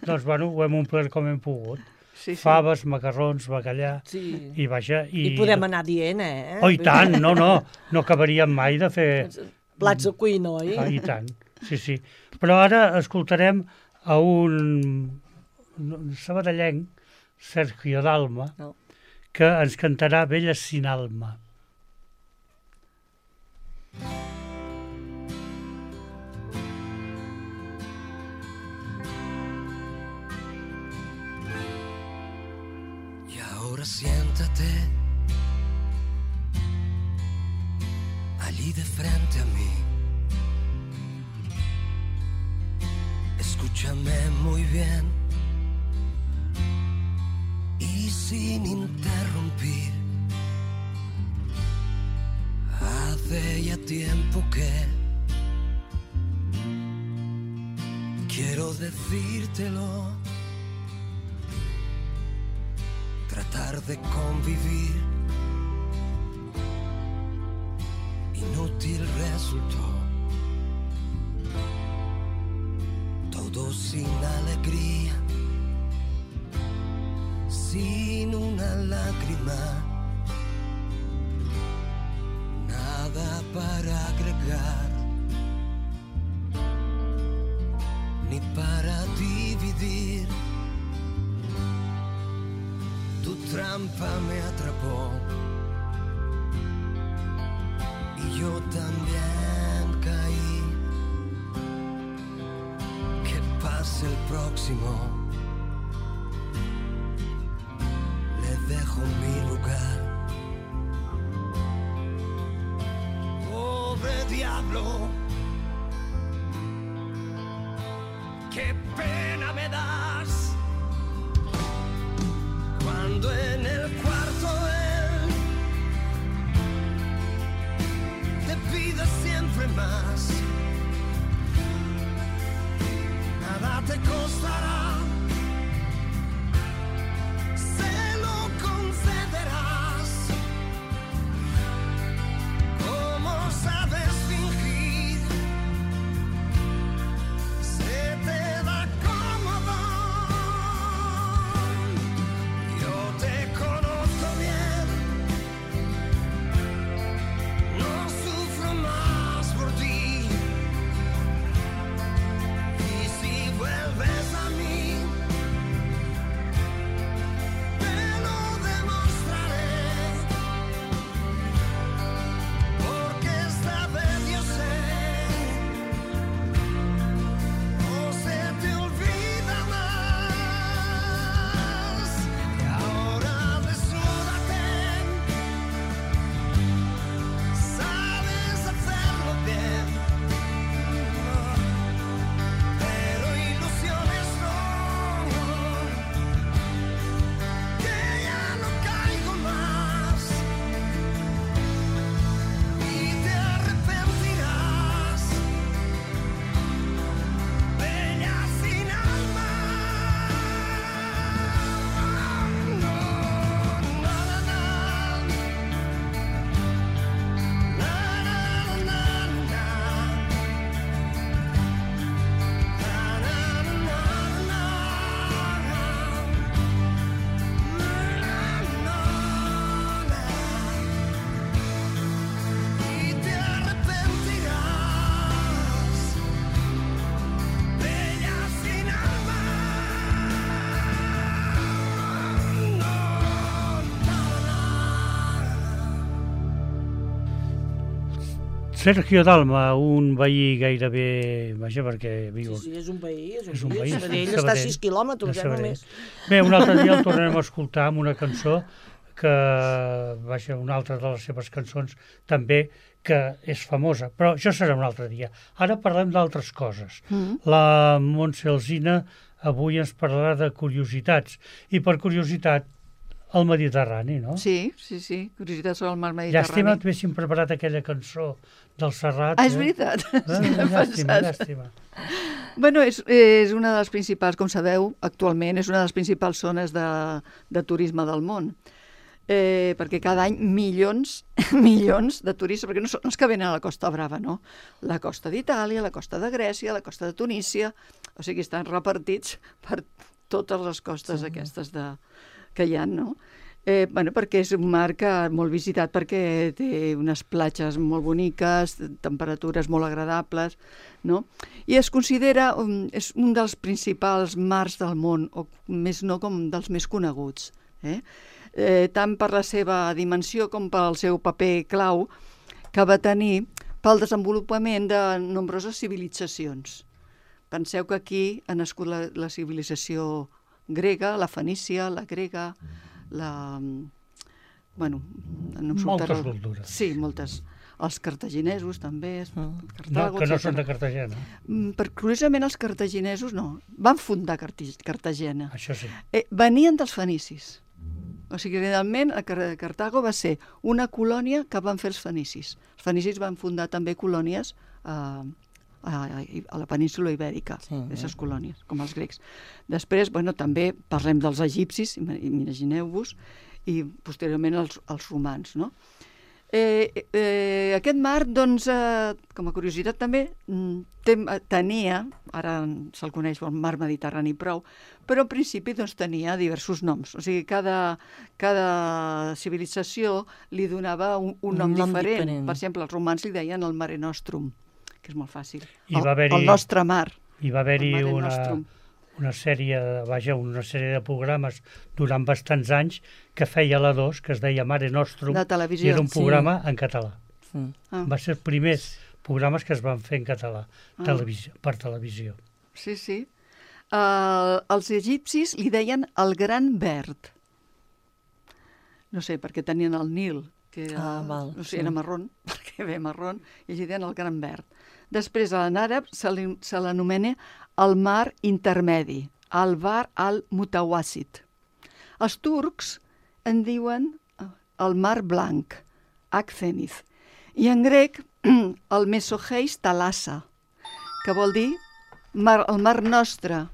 doncs, bueno, ho hem omplert com hem pogut. Sí, sí. Faves, macarrons, bacallà, Sí. i vaja... I, I podem anar dient, eh? Oh, i tant, no, no, no acabaríem mai de fer... Plats de cuina, oi? Ah, i tant, sí, sí. Però ara escoltarem a un sabadellenc, Sergio Dalma, No. que ens cantarà Velles sin alma. Y ahora siéntate allí de frente a mí. Escúchame muy bien y sin interrumpir. Hace ya tiempo que quiero decírtelo. Tratar de convivir inútil resultó. Todo sin alegría, sin una lágrima, nada para agregar, ni para dividir. Tu trampa me atrapó y yo también caí. Que pase el próximo, le dejo mi lugar. Pobre diablo, qué pena me das. Cuando en el cuarto él te pide siempre más, nada te costará, se lo concederás. ¿Cómo sabes fingir? Se te da cómodo. Yo te conozco bien, no sufro más por ti. Y si vuelves a mí Sergio Dalma, un veí gairebé... Vaja, perquè viu... Sí, sí, és un veí, és un, És un veí. veí, Sabadell Sabadell, està a sis quilòmetres, de ja Sabadell. només. Bé, un altre dia el tornarem a escoltar amb una cançó que, vaja, una altra de les seves cançons també, que és famosa, però això serà un altre dia. Ara parlem d'altres coses. Mm. La Montse Alsina avui ens parlarà de curiositats, i per curiositat, el Mediterrani, no? Sí, sí, sí, curiositat sobre el mar Llàstima Mediterrani. et haguéssim preparat aquella cançó del Serrat. Ah, és eh? veritat. Ah, Sí, l'he llàstima, pensat. llàstima. Bueno, és, és una de les principals, com sabeu, actualment és una de les principals zones de, de turisme del món. Eh, perquè cada any milions, milions de turistes, perquè no són els que venen a la Costa Brava, no? La costa d'Itàlia, la costa de Grècia, la costa de Tunísia, o sigui, estan repartits per totes les costes sí. aquestes de, que hi ha, no? Eh, bueno, perquè és un mar que molt visitat perquè té unes platges molt boniques, temperatures molt agradables, no? I es considera, um, és un dels principals mars del món, o més no com dels més coneguts, eh? Eh, tant per la seva dimensió com pel seu paper clau que va tenir pel desenvolupament de nombroses civilitzacions. Penseu que aquí ha nascut la, la civilització grega, la fenícia, la grega, la... Bueno, no em Moltes el- cultures. Sí, moltes. Els cartaginesos també. Mm. No, Cartago, que no etcètera. són de Cartagena. Mm, Per, curiosament, els cartaginesos no. Van fundar Carti- Cartagena. Això sí. Eh, venien dels fenicis. O sigui, realment, a Car- Cartago va ser una colònia que van fer els fenicis. Els fenicis van fundar també colònies a, a, a la península ibèrica, Sí, aquestes colònies, com els grecs. Després, bueno, també parlem dels egipcis, ima- imagineu-vos, i posteriorment els, els romans, no? Eh, eh, aquest mar, doncs, eh, com a curiositat també, mm, tem, eh, tenia, ara se'l coneix el mar Mediterrani prou, però en principi doncs, tenia diversos noms. O sigui, cada, cada civilització li donava un, un nom, Un nom diferent. diferent. Per exemple, els romans li deien el Mare Nostrum, que és molt fàcil. I el, va haver-hi- el nostre mar. Hi va haver-hi El Mare una, Nostrum. una sèrie, vaja, una sèrie de programes durant bastants anys que feia la dos, que es deia Mare Nostrum, De televisió, i era un sí. programa en català. Sí. Ah, Va ser els primers programes que es van fer en català, Ah. televisió, per televisió. sí, sí. Uh, els egipcis li deien el Gran Verd. No sé, perquè tenien el Nil, que era, Ah, val, no sé, sí. era marrón, perquè ve marrón, i li deien el Gran Verd. Després, en àrab, se li- se l'anomena el mar intermedi, el Bar al-Mutawassit. Els turcs en diuen eh, el mar blanc, Akzenith, i en grec el Mesogeis Thalassa, que vol dir mar, el mar nostre.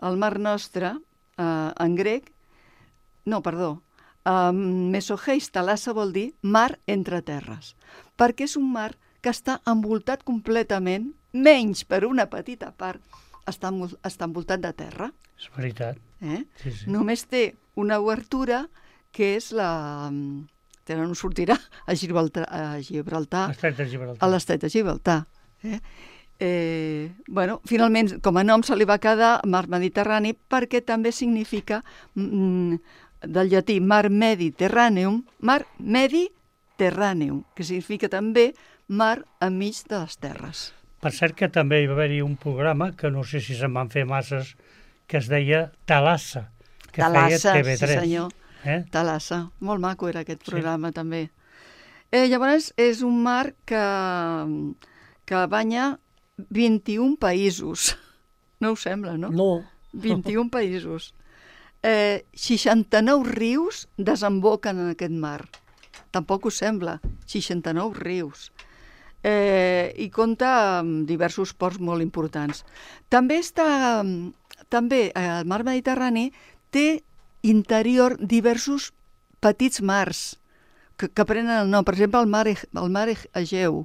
El mar nostre, eh, en grec, no, perdó, eh, Mesogeis Thalassa vol dir mar entre terres, perquè és un mar que està envoltat completament, menys per una petita part, està, envol- està envoltat de terra. És veritat. Eh? Sí, sí. Només té una obertura que és la... Te no sortirà a Gibraltar, a Gibraltar L'estret de Gibraltar. a l'estret de Gibraltar. Eh? Eh, bueno, finalment, com a nom se li va quedar mar Mediterrani perquè també significa, mm, del llatí mar Mediterraneum, mar Mediterraneum, que significa també mar enmig de les terres. Per cert que també hi va haver-hi un programa, que no sé si se'n van fer masses, que es deia Talassa, que Talassa, feia T V sí tres. senyor. Eh? Talassa, molt maco era aquest Sí. programa també. Eh, llavors, és un mar que, que banya vint-i-un països. No us sembla, no? No. vint-i-un països. Eh, seixanta-nou rius desemboquen en aquest mar. Tampoc us sembla, seixanta-nou rius. Eh, I compta amb diversos ports molt importants. També està, també eh, el mar Mediterrani té interior diversos petits mars que, que prenen el nom. Per exemple, el mar, E- el mar E- Egeu,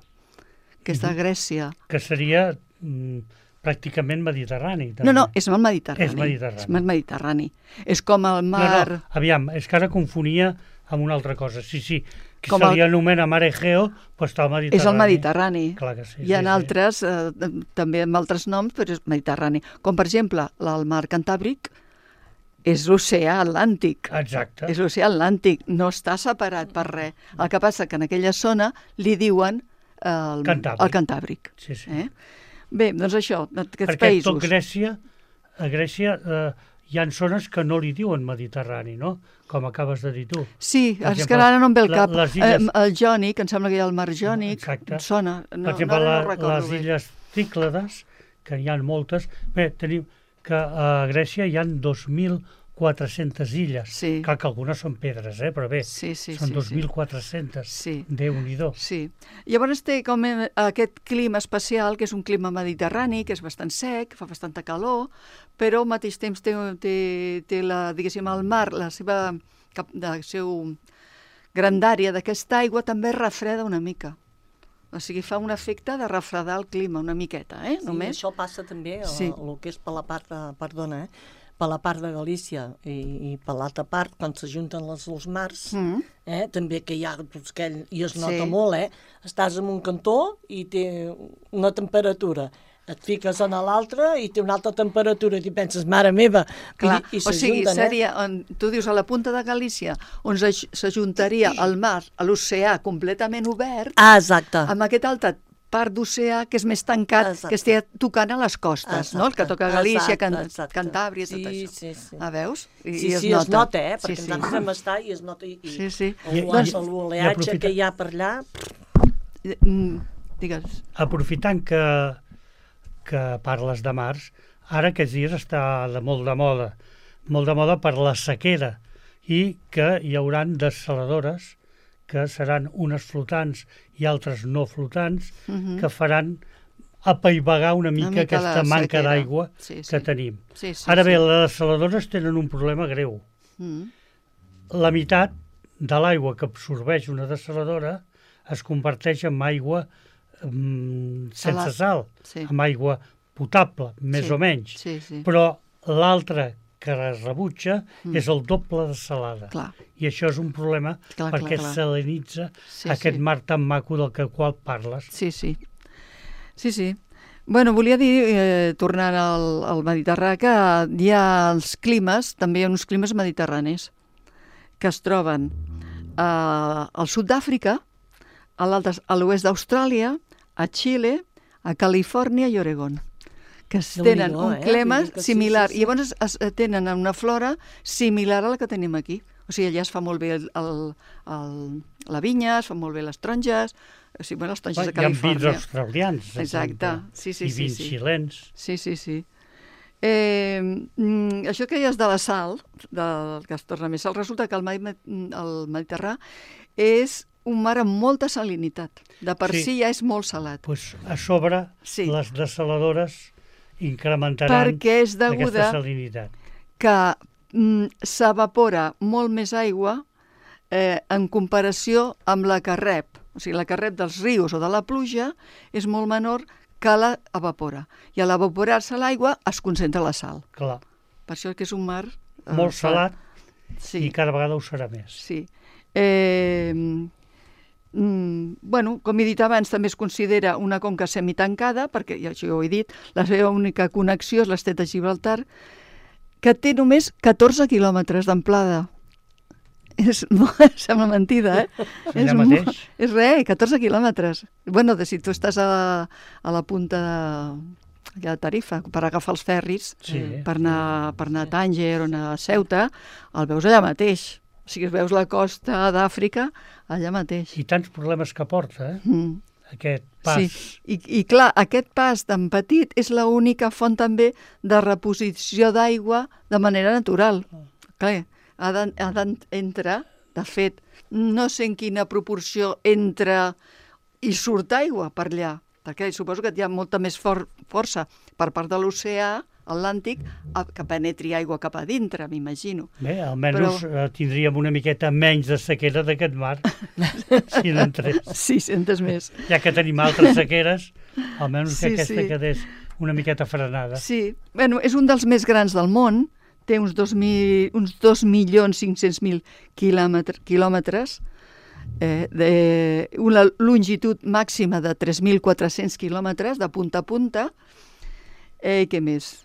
que està a Grècia. Que seria mm, pràcticament mediterrani. També. No, no, és el Mediterrani. És Mediterrani. És el Mediterrani. És com el No, mar... no, aviam, és que ara confonia amb una altra cosa. Sí, sí, que Com se el- li anomena Mar Egeo, però està al Mediterrani. És el Mediterrani. Clar que sí. Hi ha sí, sí. altres, eh, també amb altres noms, però és Mediterrani. Com, per exemple, el mar Cantàbric és l'oceà Atlàntic. Exacte. És l'oceà Atlàntic, no està separat per res. El que passa que en aquella zona li diuen el Cantàbric. el Cantàbric. Sí, sí. Eh? Bé, doncs això, aquests Perquè països... tot Grècia, a Grècia eh, hi ha zones que no li diuen Mediterrani, no? Com acabes de dir tu. Sí, Per és exemple, que ara no em ve el la- cap. les illes- Eh, el Jònic, em sembla que hi ha el mar Jònic, Exacte. sona. No, Per exemple, no, no la, recordo les bé. illes Cíclades, que hi ha moltes. Bé, tenim que a Grècia hi ha dos mil quatre-centes illes. Sí. Clar que algunes són pedres, eh? Però bé, Sí, sí, són sí, dos mil quatre-centes. Sí. Déu-n'hi-do. Sí. Llavors té com eh, aquest clima especial, que és un clima mediterrani, que és bastant sec, fa bastanta calor, però al mateix temps té, té, té la, diguéssim, el mar, la seva, cap, la seu grandària d'aquesta aigua també refreda una mica. O sigui, fa un efecte de refredar el clima una miqueta, eh? Sí, Només. això passa també a, Sí. el que és per la part de, perdona, eh? per la part de Galícia i, i per l'altra part, quan s'ajunten les, els mars, Mm. eh? també que hi ha, doncs, aquell, i es nota Sí. molt, eh? Estàs en un cantó i té una temperatura, et fiques en l'altre i té una altra temperatura, i penses, mare meva, Clar, i, i o sigui, s'ajunten, seria, on, tu dius, a la punta de Galícia, on s'aj- s'ajuntaria el mar, a l'oceà completament obert, Ah, exacte. amb aquesta altra part d'oceà que és més tancat, Exacte. que estigui tocant a les costes, no? El que toca Galícia, Exacte, Can exacte. Cantàbria, tot Sí, això. sí, sí. Ah, veus? I, Sí, i es sí, nota. es nota, eh? Perquè Sí, sí. nosaltres vam estar i es nota. I, i Sí, sí. El, I- doncs, i- l'oleatge i aprofita- que hi ha per allà... Mm, digues. Aprofitant que, que parles de mars, ara aquests dies està de molt de moda, molt de moda per la sequera, i que hi hauran dessaladores que seran unes flotants i altres no flotants, Mhm. que faran apaivagar una mica, mica aquesta la manca sequera. d'aigua Sí, sí. que tenim. Sí, sí, Ara sí. bé, les dessaladores tenen un problema greu. Mm. La meitat de l'aigua que absorbeix una dessaladora es converteix en aigua mm, sense Salat. sal, Sí. amb aigua potable, més Sí, o menys. sí, sí. Però l'altra que es rebutja mm. és el doble de salada. Clar. I això és un problema Clar, perquè clar, clar. salinitza Sí, aquest sí. mar tan maco del que qual parles. Sí, sí. Sí, sí. Bueno, volia dir, eh, tornant al, al Mediterrani, que hi ha els climes, també hi ha uns climes mediterranis, que es troben a, al sud d'Àfrica, a l'altre- a l'oest d'Austràlia, a Xile, a Califòrnia i Oregon, que es Déu-n'hi-do, tenen un eh? clima Vull dir que sí, similar. sí, sí. I llavors es, es tenen una flora similar a la que tenim aquí. O sigui, allà es fa molt bé el, el, el, la vinya, es fan molt bé les taronges, o sigui, bueno, les taronges de Hi ha vins Califòrnia. australians, Exacte. exemple, Sí, sí, i sí, vins sí. xilens. Sí, sí, sí. Eh, mm, això que deies de la sal, del que es torna més sal, resulta que el, Medi- el Mediterrani és un mar amb molta salinitat. De per Sí. si ja és molt salat. Pues a sobre, Sí. les dessaladores incrementaran Perquè és aquesta deguda salinitat. que mm, s'evapora molt més aigua eh, en comparació amb la que rep. O sigui, la que rep dels rius o de la pluja és molt menor que la evapora. I a l'evaporar-se l'aigua es concentra la sal. Clar, Per això que és un mar... eh, molt salat Sí, i cada vegada ho serà més. sí. Eh, mm, bueno, com he dit abans, també es considera una conca semitancada, perquè, ja això ho he dit, la seva única connexió és l'estret de Gibraltar, que té només catorze quilòmetres d'amplada. És, sembla mentida, eh? Allà mo- mateix. És res, catorze quilòmetres. Bueno, de si tu estàs a la, a la punta de, allà de Tarifa, per agafar els ferris, Sí. per anar, per anar a Tànger o anar a Ceuta, el veus allà mateix. O sigui, veus la costa d'Àfrica allà mateix. I tants problemes que porta, eh? Mm. Aquest pas. Sí, I, i clar, aquest pas tan petit és l'única font també de reposició d'aigua de manera natural. Clar, ha d'en- ha d'entrar, de fet, no sé en quina proporció entra i surt aigua per allà, perquè suposo que hi ha molta més for força per part de l'oceà Atlàntic a, que penetri aigua cap a dintre, m'imagino. Bé, almenys Però- eh, tindríem una miqueta menys de sequera d'aquest mar, si n'entrés. sis centes més. Ja que tenim altres sequeres, almenys Sí, que aquesta sí. quedés una miqueta frenada. Sí, bueno, és un dels més grans del món, té uns dos, mil, uns dos milions cinc-cents mil quilòmetres, quilòmetres eh, de una longitud màxima de tres mil quatre-cents quilòmetres de punta a punta. Eh, què més?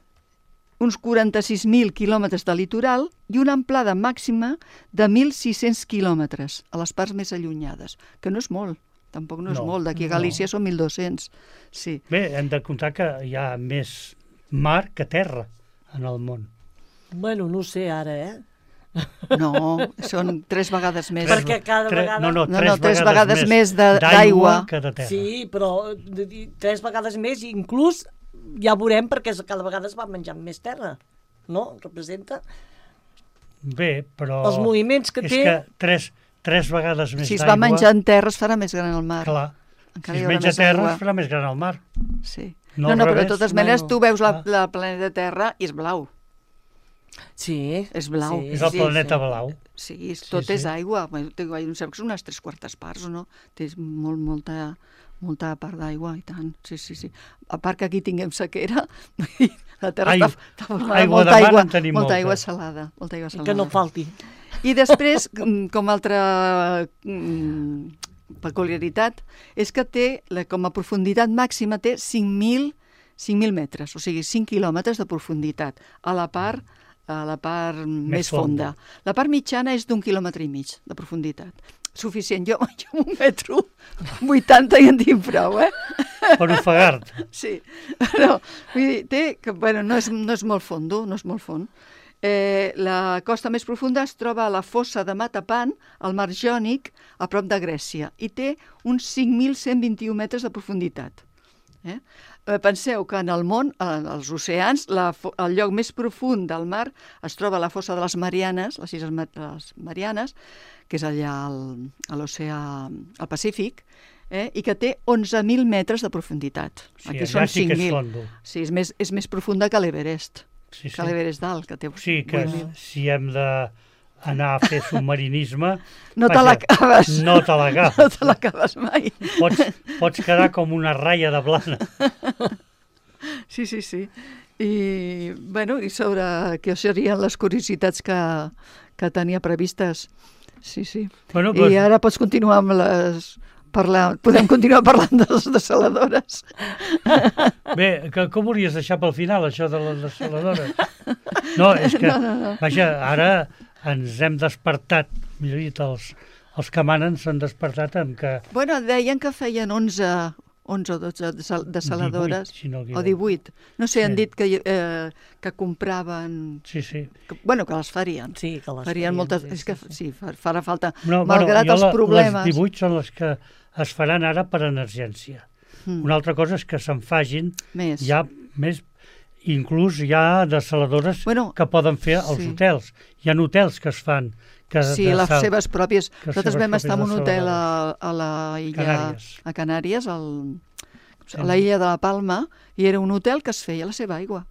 Uns quaranta-sis mil quilòmetres de litoral i una amplada màxima de mil sis-cents quilòmetres a les parts més allunyades, que no és molt. tampoc no és No, molt. D'aquí a no. Galícia són mil dos-cents. Sí. Bé, hem de comptar que hi ha més mar que terra en el món. Bueno, no ho sé ara, eh? No, són tres vegades més. Perquè cada Tre- vegada- No, no, No, tres, no, tres vegades més de- d'aigua. que de terra. Sí, però de dir, tres vegades més, i inclús ja veurem perquè cada vegada es va menjant més terra, no? Representa Bé, però... els moviments que és té... que tres, tres vegades més Si es d'aigua... va menjar en terra es farà més gran el mar. Clar, Encara si hi es haurà menja més terra aigua. es farà més gran el mar. Sí. No No, al no, però revés. de totes maneres Bueno. tu veus la, Ah. la planeta Terra i és blau. Sí. És blau. Sí, És el sí, planeta sí. blau. Sí, és- tot sí. és aigua. Bueno, té- em sembla que són unes tres quartes parts, o no? Té molt, molta, molta part d'aigua, i tant. Sí, sí, sí. A part que aquí tinguem sequera, la terra Aigua- està, està formada aigua molta de mar aigua, en tenim molta molta. aigua salada. Molta aigua I salada. que no falti. I després, mm, com a altra mm, peculiaritat, és que té, la, com a profunditat màxima, té cinc mil metres, o sigui, cinc quilòmetres de profunditat, a la part, a la part més, més fonda. fonda. La part mitjana és d'un quilòmetre i mig de profunditat. Suficient. Jo, jo amb un metro vuitanta i en tinc prou, eh? Per ofegar-te. Sí, però vull dir, té, que, bueno, no és, no és molt fondo, no és molt fond. Eh, la costa més profunda es troba a la fossa de Matapan, al mar Jònic, a prop de Grècia, i té uns cinc mil cent vint-i-un metres de profunditat. Eh? Eh, penseu que en el món, en els oceans, la, fo- el lloc més profund del mar es troba a la fossa de les Marianes, les Illes Ma- les Marianes, que és allà al, a l'oceà al Pacífic, eh? I que té onze mil metres de profunditat. Sí, Aquí allà són sí que és cinc mil. fondo. Sí, és més, és més profunda que l'Everest, Sí, sí. que l'Everest dalt, que té Sí, que vuit mil. si hem d'anar a fer submarinisme... No te vaja, l'acabes. No te l'acabes. No te l'acabes mai. Pots, pots quedar com una ratlla de blana. Sí, sí, sí. I, bueno, i sobre què serien les curiositats que, que tenia previstes. Sí, sí. Bueno, I doncs, ara pots continuar amb les... Parlar, podem continuar parlant de les desaladores. bé, que, com volies deixar pel final, això de les desaladores? No, és que, No, no, no. vaja, ara ens hem despertat, millor dit, els, els que manen s'han despertat amb que... Bueno, deien que feien onze, onze o dotze desal- desaladores. divuit, si no o divuit. No sé, han Sí. dit que, eh, que compraven... Sí, sí. Que, bueno, que les farien. Sí, que les Farien moltes... sí, és que sí, sí, fa- farà falta. No, Malgrat jo els la- problemes. Les divuit són les que es faran ara per emergència. Mm. Una altra cosa és que se'n fagin Més. ja més... Inclús hi ha desaladores Bueno, que poden fer als sí. hotels. Hi ha hotels que es fan. Que Sí, de les sal. seves pròpies. que les Nosaltres seves vam estar en un pròpies hotel a, a la illa... Canàries. A Canàries, al, a la illa de la Palma, i era un hotel que es feia la seva aigua.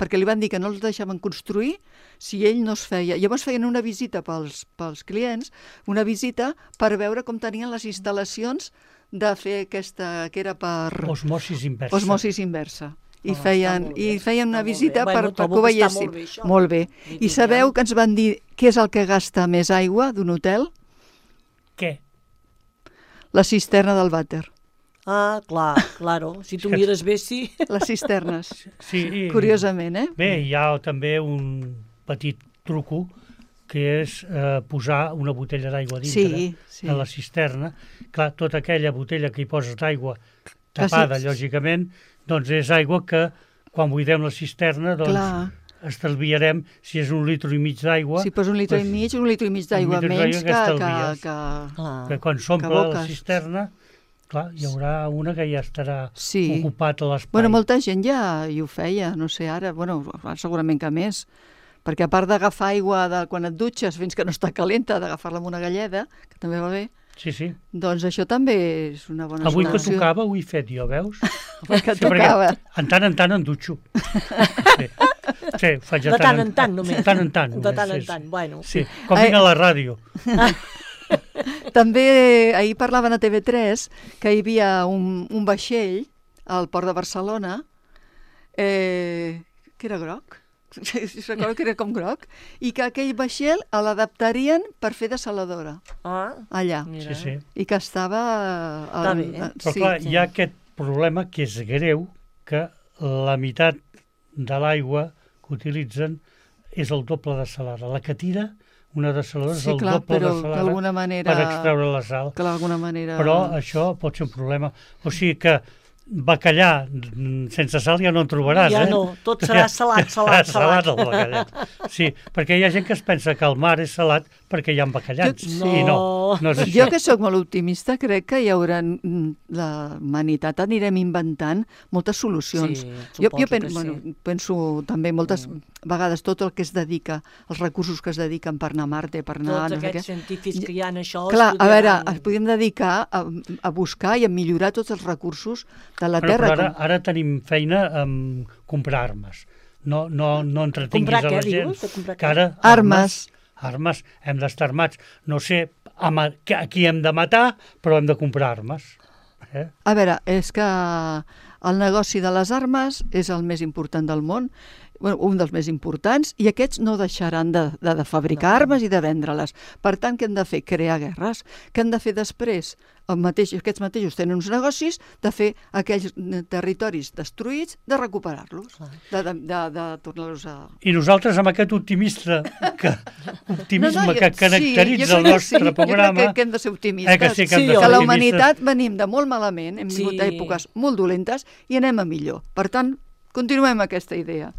Perquè li van dir que no els deixaven construir si ell no es feia. Llavors feien una visita pels, pels clients, una visita per veure com tenien les instal·lacions de fer aquesta, que era per Osmosis inversa. osmosis inversa. I, Oh, feien, està molt i bé, feien una està molt visita bé. per, Bueno, per trobo que ho que està veiessin. molt bé, això. Molt bé. I I sabeu que ens van dir què és el que gasta més aigua d'un hotel? Què? La cisterna del vàter. Ah, clar, claro. Si tu És que- mires bé, sí. Les cisternes. Sí, i- Curiosament, eh? Bé, hi ha també un petit truco que és eh, posar una botella d'aigua dintre Sí, sí. de la cisterna. Clar, tota aquella botella que hi poses d'aigua tapada, sí. lògicament, doncs és aigua que quan buidem la cisterna doncs Clar. estalviarem, si és un litre i mig d'aigua, Si posa un litre doncs, i mig, un litre i mig d'aigua litre menys d'aigua que, que que, estalvies. que... Clar. que quan s'omple que la boques. cisterna, clar, hi haurà una que ja estarà Sí. ocupat a l'espai. Bueno, molta gent ja hi ho feia, no sé ara, bueno, ara segurament que més, perquè a part d'agafar aigua de quan et dutxes fins que no està calenta, d'agafar-la amb una galleda, que també va bé, Sí, sí. doncs això també és una bona Avui que solució. tocava ho he fet jo, veus? Que Sí, tocava. perquè en tant en tant em dutxo. Sí, sí faig De tant en tant, només. De tant en tant. De només, tant en sí, tant, bueno. Sí, com vinc a la ràdio. També ahir parlaven a T V tres que hi havia un, un vaixell al port de Barcelona eh, que era groc, recordo que era com groc, i que aquell vaixell l'adaptarien per fer desaladora Ah, allà, mira. Sí, sí. i que estava... eh, Està bé. eh, Però sí, clar, hi ha aquest problema que és greu, que la meitat de l'aigua que utilitzen és el doble de salada. La que tira una dessaladora és Sí, el clar, doble però dessalada d'alguna manera... per extreure la sal. Que d'alguna manera... Però això pot ser un problema. O sigui que bacallà mm, sense sal ja no en trobaràs, Ja eh? no, tot serà salat, salat, salat. salat. el bacallà. Sí, perquè hi ha gent que es pensa que el mar és salat perquè hi ha bacallans. Jo- I no, no és Jo això. que sóc molt optimista, crec que hi haurà... mm, La humanitat anirem inventant moltes solucions. Sí, jo, suposo jo pen, que sí. bueno, penso també moltes vegades tot el que es dedica, els recursos que es dediquen per anar a Marte, per anar... Tots no sé aquests què. científics que hi ha en això... Clar, a veure, estudiaran. ens podem dedicar a, a buscar i a millorar tots els recursos de la Bueno, Terra. però ara, com- ara tenim feina amb comprar armes. No, no, no entretinguis Comprar a la què, gent. dius? De comprar Que què? ara, Armes. Armes, hem d'estar armats. No sé amb a, que- a qui hem de matar, però hem de comprar armes. Eh? A veure, és que el negoci de les armes és el més important del món, bueno, un dels més importants, i aquests no deixaran de, de, de fabricar armes i de vendre-les. Per tant, què han de fer? Crear guerres. Què han de fer després? El mateix, aquests mateixos tenen uns negocis de fer aquells territoris destruïts, de recuperar-los, de, de, de, de tornar-los a... I nosaltres, amb aquest optimista que, optimisme jo- que caracteritza sí, jo el crec que nostre sí, programa... Jo crec que, que hem de ser optimistes. Eh, que sí que hem de que ser la optimistes. humanitat venim de molt malament, hem Sí. vingut d'èpoques molt dolentes i anem a millor. Per tant, continuem aquesta idea.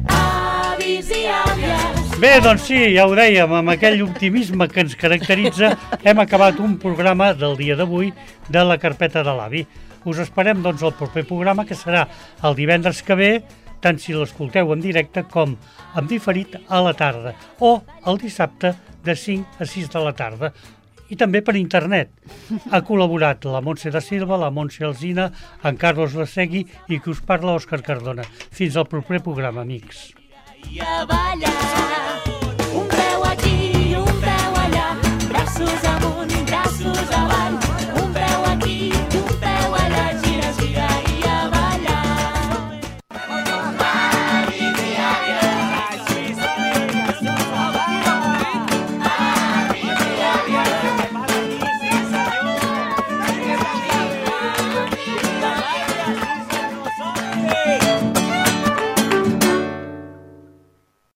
Avis i àvies. Bé, doncs sí, ja ho dèiem, amb aquell optimisme que ens caracteritza, hem acabat un programa del dia d'avui de la carpeta de l'avi. Us esperem, doncs, al proper programa, que serà el divendres que ve, tant si l'escolteu en directe com en diferit a la tarda, o el dissabte de cinc a sis de la tarda, i també per internet. Ha col·laborat la Montse da Silva, la Montse Alsina, en Carlos Lasegui i qui us parla, Òscar Cardona. Fins al proper programa, amics. I a ballar.